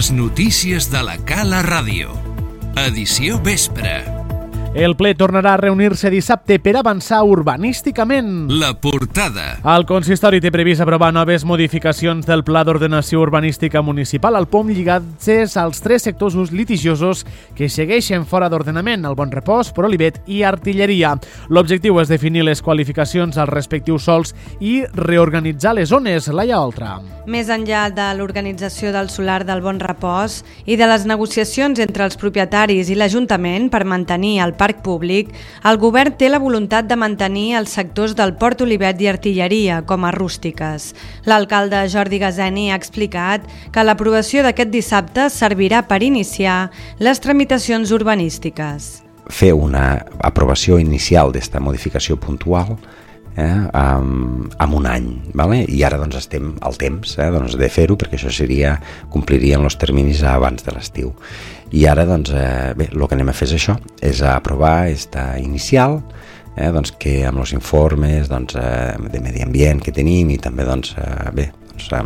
Les notícies de la Cala Ràdio. Edició vespre. El ple tornarà a reunir-se dissabte per avançar urbanísticament. La portada. El consistori té previst aprovar noves modificacions del Pla d'Ordenació Urbanística Municipal al POM lligats als tres sectors litigiosos que segueixen fora d'ordenament, el Bon Repòs, Prolivet i Artilleria. L'objectiu és definir les qualificacions als respectius sols i reorganitzar les zones. Laia Oltra. Més enllà de l'organització del solar del Bon Repòs i de les negociacions entre els propietaris i l'Ajuntament per mantenir el parc públic, el govern té la voluntat de mantenir els sectors del Port Olivet i Artilleria com a rústiques. L'alcalde Jordi Gazeni ha explicat que l'aprovació d'aquest dissabte servirà per iniciar les tramitacions urbanístiques. Fer una aprovació inicial d'esta modificació puntual amb un any, ¿vale? I ara doncs estem al temps de fer-ho, perquè això complirien els terminis abans de l'estiu. I ara doncs, el que anem a fer és això, és aprovar esta inicial, que amb els informes de medi ambient que tenim i també amb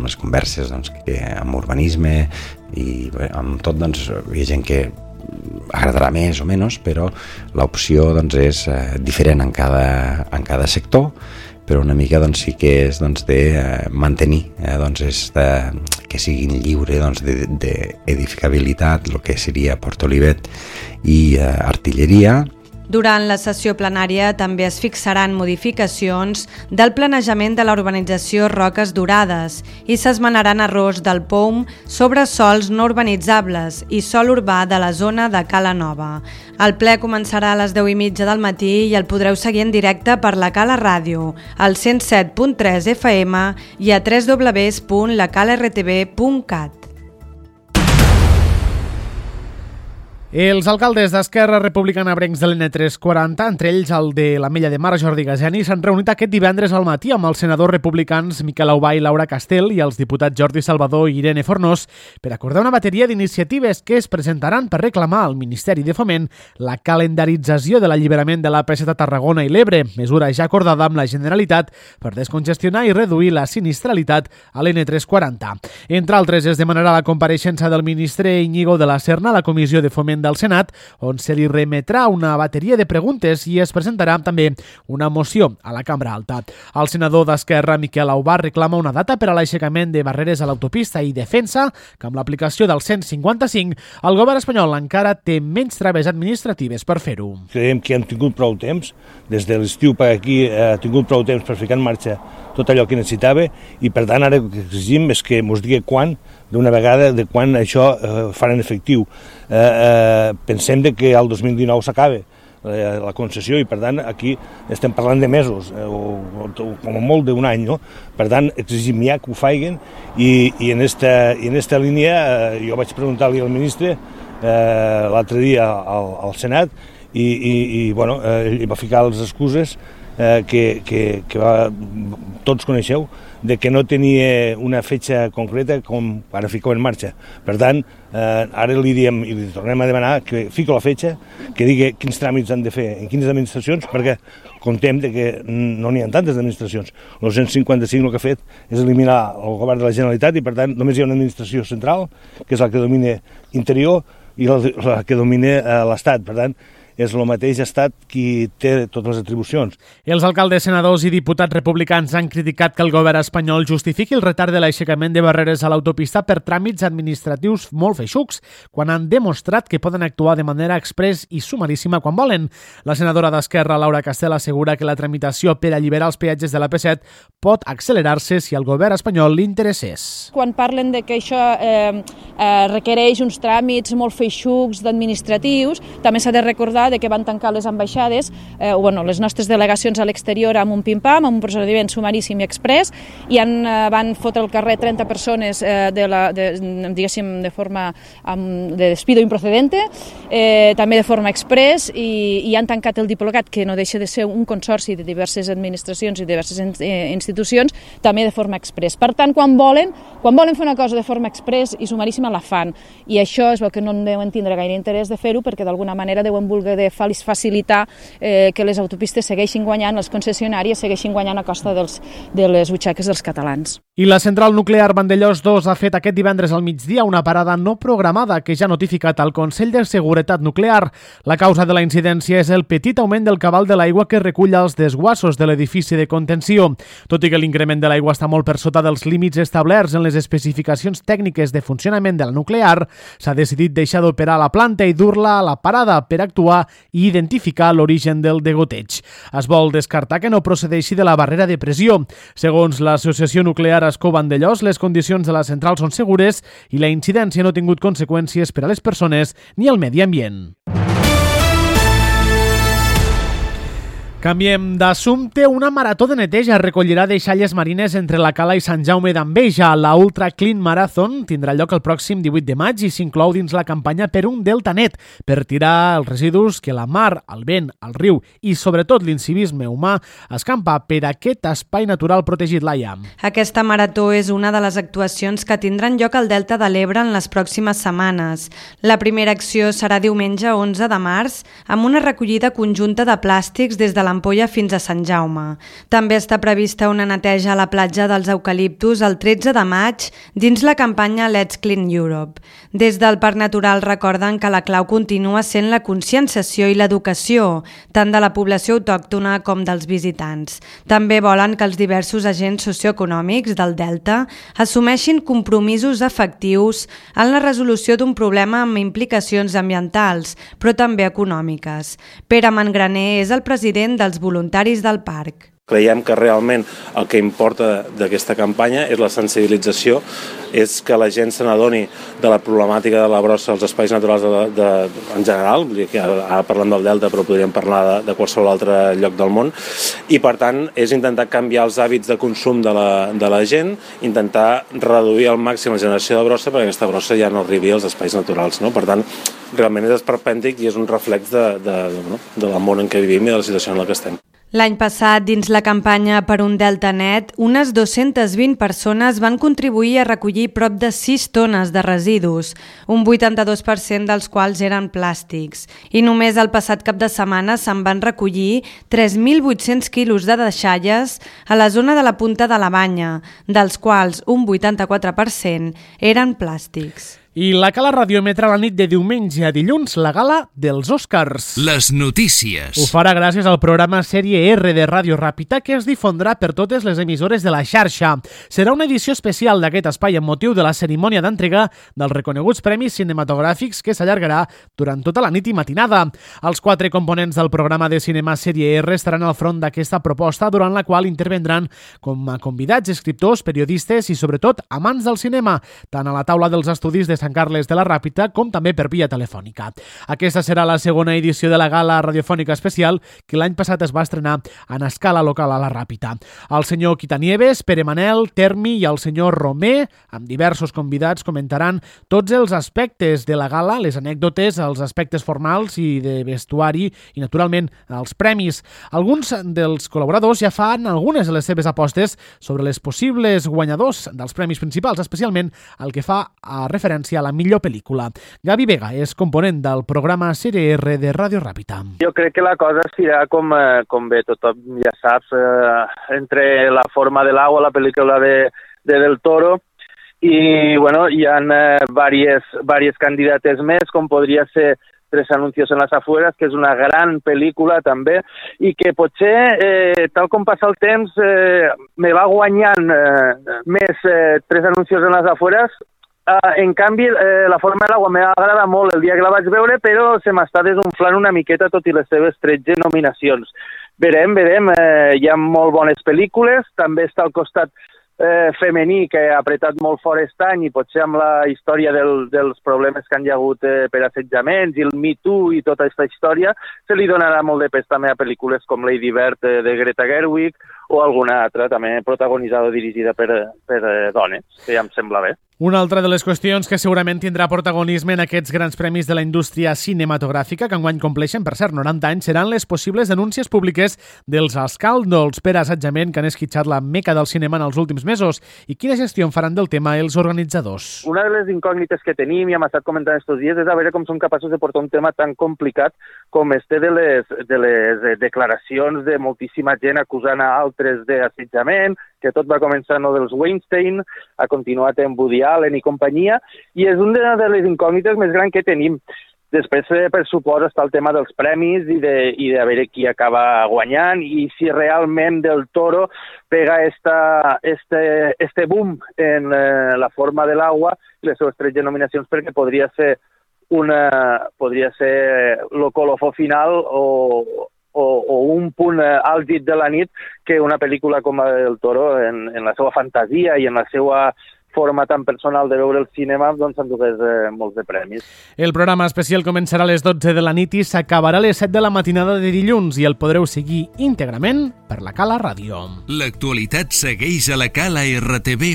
les converses amb urbanisme i amb tot, hi ha gent que agradarà més o menys, però l'opció és diferent en cada sector, però una mica sí que és de mantenir que siguin lliures d'edificabilitat el que seria Port Olivet i Artilleria. Durant la sessió plenària també es fixaran modificacions del planejament de la urbanització Roques Dorades i s'esmenaran errors del POM sobre sols no urbanitzables i sòl urbà de la zona de Cala Nova. El ple començarà a les 10:30 del matí i el podreu seguir en directe per la Cala Ràdio, al 107.3 FM i a www.lacalartv.cat. Els alcaldes d'Esquerra Republicana Abrencs de l'N340, entre ells el de l'Ametlla de Mar, Jordi Gazeni, s'han reunit aquest divendres al matí amb els senadors republicans Miquel Aubà i Laura Castel i els diputats Jordi Salvador i Irene Fornós per acordar una bateria d'iniciatives que es presentaran per reclamar al Ministeri de Foment la calendarització de l'alliberament de l'AP7 a Tarragona i l'Ebre, mesura ja acordada amb la Generalitat per descongestionar i reduir la sinistralitat a l'N340. Entre altres, es demanarà la compareixença del ministre Íñigo de la Serna a la Comissió de Foment del Senat, on se li remetrà una bateria de preguntes i es presentarà també una moció a la Cambra Alta. El senador d'Esquerra, Miquel Aubà, reclama una data per a l'aixecament de barreres a l'autopista i defensa que amb l'aplicació del 155 el govern espanyol encara té menys traves administratives per fer-ho. Creiem que hem tingut prou temps, des de l'estiu per aquí ha tingut prou temps per ficar en marxa tot allò que necessitava i per tant ara el que exigim és que ens digui quan, d'una vegada, de quan això faran efectiu. Pensem que el 2019 s'acaba la concessió i per tant aquí estem parlant de mesos o com a molt d'un any, no? Per tant exigim ja que ho facin i en esta línia jo vaig preguntar-li al ministre l'altre dia al Senat i ell va ficar les excuses que tots coneixeu, de que no tenia una fetge concreta com ara fico en marxa. Per tant, ara li diem i li tornem a demanar que fico la fetge, que digui quins tràmits han de fer en quines administracions, perquè comptem que no n'hi ha tantes administracions. El 155 el que ha fet és eliminar el govern de la Generalitat i per tant només hi ha una administració central, que és la que domina interior i la que domina l'Estat. Per tant, és el mateix estat qui té totes les atribucions. Els alcaldes, senadors i diputats republicans han criticat que el govern espanyol justifiqui el retard de l'aixecament de barreres a l'autopista per tràmits administratius molt feixucs, quan han demostrat que poden actuar de manera express i sumaríssima quan volen. La senadora d'Esquerra, Laura Castel, assegura que la tramitació per alliberar els peatges de l'AP7 pot accelerar-se si al govern espanyol li interessés. Quan parlen de que això requereix uns tràmits molt feixucs d'administratius, també s'ha de recordar que van tancar les ambaixades, les nostres delegacions a l'exterior amb un pim-pam, amb un procediment sumaríssim i express, i van fotre al carrer 30 persones diguéssim de forma de despido improcedente, també de forma express, i han tancat el Diplocat, que no deixa de ser un consorci de diverses administracions i diverses institucions, també de forma express. Per tant, quan volen fer una cosa de forma express i sumaríssima, la fan, i això és el que no deuen tindre gaire interès de fer-ho, perquè d'alguna manera deuen voler de facilitar que les autopistes segueixin guanyant, les concessionàries segueixin guanyant a costa de les butxaques dels catalans. I la central nuclear Vandellòs 2 ha fet aquest divendres al migdia una parada no programada que ja ha notificat al Consell de Seguretat Nuclear. La causa de la incidència és el petit augment del cabal de l'aigua que recull els desguassos de l'edifici de contenció. Tot i que l'increment de l'aigua està molt per sota dels límits establerts en les especificacions tècniques de funcionament de la nuclear, s'ha decidit deixar d'operar la planta i dur-la a la parada per actuar i identificar l'origen del degoteig. Es vol descartar que no procedeixi de la barrera de pressió. Segons l'Associació Nuclear Ascó Vandellòs, les condicions de la central són segures i la incidència no ha tingut conseqüències per a les persones ni al medi ambient. Canviem d'assumpte. Una marató de neteja recollirà deixalles marines entre la Cala i Sant Jaume d'Enveja. La Ultra Clean Marathon tindrà lloc el pròxim 18 de maig i s'inclou dins la campanya per un delta net, per tirar els residus que la mar, el vent, el riu i sobretot l'incivisme humà escampa per aquest espai natural protegit, Laia. Aquesta marató és una de les actuacions que tindran lloc al Delta de l'Ebre en les pròximes setmanes. La primera acció serà diumenge 11 de març amb una recollida conjunta de plàstics des de l'Ampolla fins a Sant Jaume. També està prevista una neteja a la platja dels Eucaliptus el 13 de maig dins la campanya Let's Clean Europe. Des del Parc Natural recorden que la clau continua sent la conscienciació i l'educació, tant de la població autòctona com dels visitants. També volen que els diversos agents socioeconòmics del Delta assumeixin compromisos efectius en la resolució d'un problema amb implicacions ambientals, però també econòmiques. Pere Mangraner és el president dels voluntaris del parc. Creiem que realment el que importa d'aquesta campanya és la sensibilització, és que la gent se n'adoni de la problemàtica de la brossa als espais naturals en general, ara parlem del Delta però podríem parlar de qualsevol altre lloc del món, i per tant és intentar canviar els hàbits de consum de la gent, intentar reduir al màxim la generació de brossa perquè aquesta brossa ja no arribi als espais naturals. No? Per tant, realment és esperpèntic i és un reflex del món en què vivim i de la situació en la que estem. L'any passat, dins la campanya Per un Delta Net, unes 220 persones van contribuir a recollir prop de 6 tones de residus, un 82% dels quals eren plàstics. I només el passat cap de setmana se'n van recollir 3.800 quilos de deixalles a la zona de la Punta de la Banya, dels quals un 84% eren plàstics. I la Cala radioemetrà la nit de diumenge a dilluns la gala dels Oscars. Les notícies. Ho farà gràcies al programa Sèrie R de Ràdio Ràpita que es difondrà per totes les emissores de la xarxa. Serà una edició especial d'aquest espai amb motiu de la cerimònia d'entrega dels reconeguts premis cinematogràfics que s'allargarà durant tota la nit i matinada. Els 4 components del programa de cinema Sèrie R estaran al front d'aquesta proposta, durant la qual intervendran com a convidats, escriptors, periodistes i sobretot amants del cinema, tant a la taula dels estudis de Sant Carles de la Ràpita com també per via telefònica. Aquesta serà la segona edició de la gala radiofònica especial que l'any passat es va estrenar en escala local a la Ràpita. El senyor Quitanieves, Pere Manel, Termi i el senyor Romer, amb diversos convidats, comentaran tots els aspectes de la gala, les anècdotes, els aspectes formals i de vestuari i, naturalment, els premis. Alguns dels col·laboradors ja fan algunes de les seves apostes sobre les possibles guanyadors dels premis principals, especialment el que fa a referència a la millor pel·lícula. Gavi Vega és component del programa Sèrie R de Ràdio Ràpita. Jo crec que la cosa serà com bé tothom ja saps, entre La forma de l'agua, la pel·lícula de Del Toro, i bueno, hi ha diverses candidates més, com podria ser Tres anuncios en las afueras, que és una gran pel·lícula també, i que potser, tal com passa el temps, me va guanyant més Tres anuncios en las afueras. En canvi, La forma de l'agua m'agrada molt el dia que la vaig veure, però se m'està desunflant una miqueta tot i les seves 13 nominacions. Verem, hi ha molt bones pel·lícules, també està al costat femení que ha apretat molt fort aquest any i potser amb la història dels problemes que han hi hagut per assetjaments i el Me Too i tota aquesta història, se li donarà molt de pes també a pel·lícules com Lady Bird de Greta Gerwig o alguna altra també protagonitzada o dirigida per dones, que ja em sembla bé. Una altra de les qüestions que segurament tindrà protagonisme en aquests grans premis de la indústria cinematogràfica, que enguany compleixen, per cert, 90 anys, seran les possibles denúncies públiques dels escàndols per assetjament que han esquitxat la meca del cinema en els últims mesos. I quina gestió en faran del tema els organitzadors? Una de les incògnites que tenim, i hem estat comentant estos dies, és a veure com són capaços de portar un tema tan complicat com este de les declaracions de moltíssima gent acusant a altres d'assetjament, que tot va començar no dels Weinstein, ha continuat en Woody Allen i companyia, i és una de les incògnites més grans que tenim. Després, per supost, està el tema dels premis i de veure qui acaba guanyant i si realment Del Toro pega este boom en la forma de l'agua i les seves 13 nominacions, perquè podria ser lo colofó final o un punt àlgid de la nit que una pel·lícula com la del Toro, en la seva fantasia i en la seva forma tan personal de veure el cinema, doncs s'endugués molts de premis. El programa especial començarà a les 12 de la nit i s'acabarà a les 7 de la matinada de dilluns i el podreu seguir íntegrament per la Cala Ràdio. L'actualitat segueix a la calartv.cat.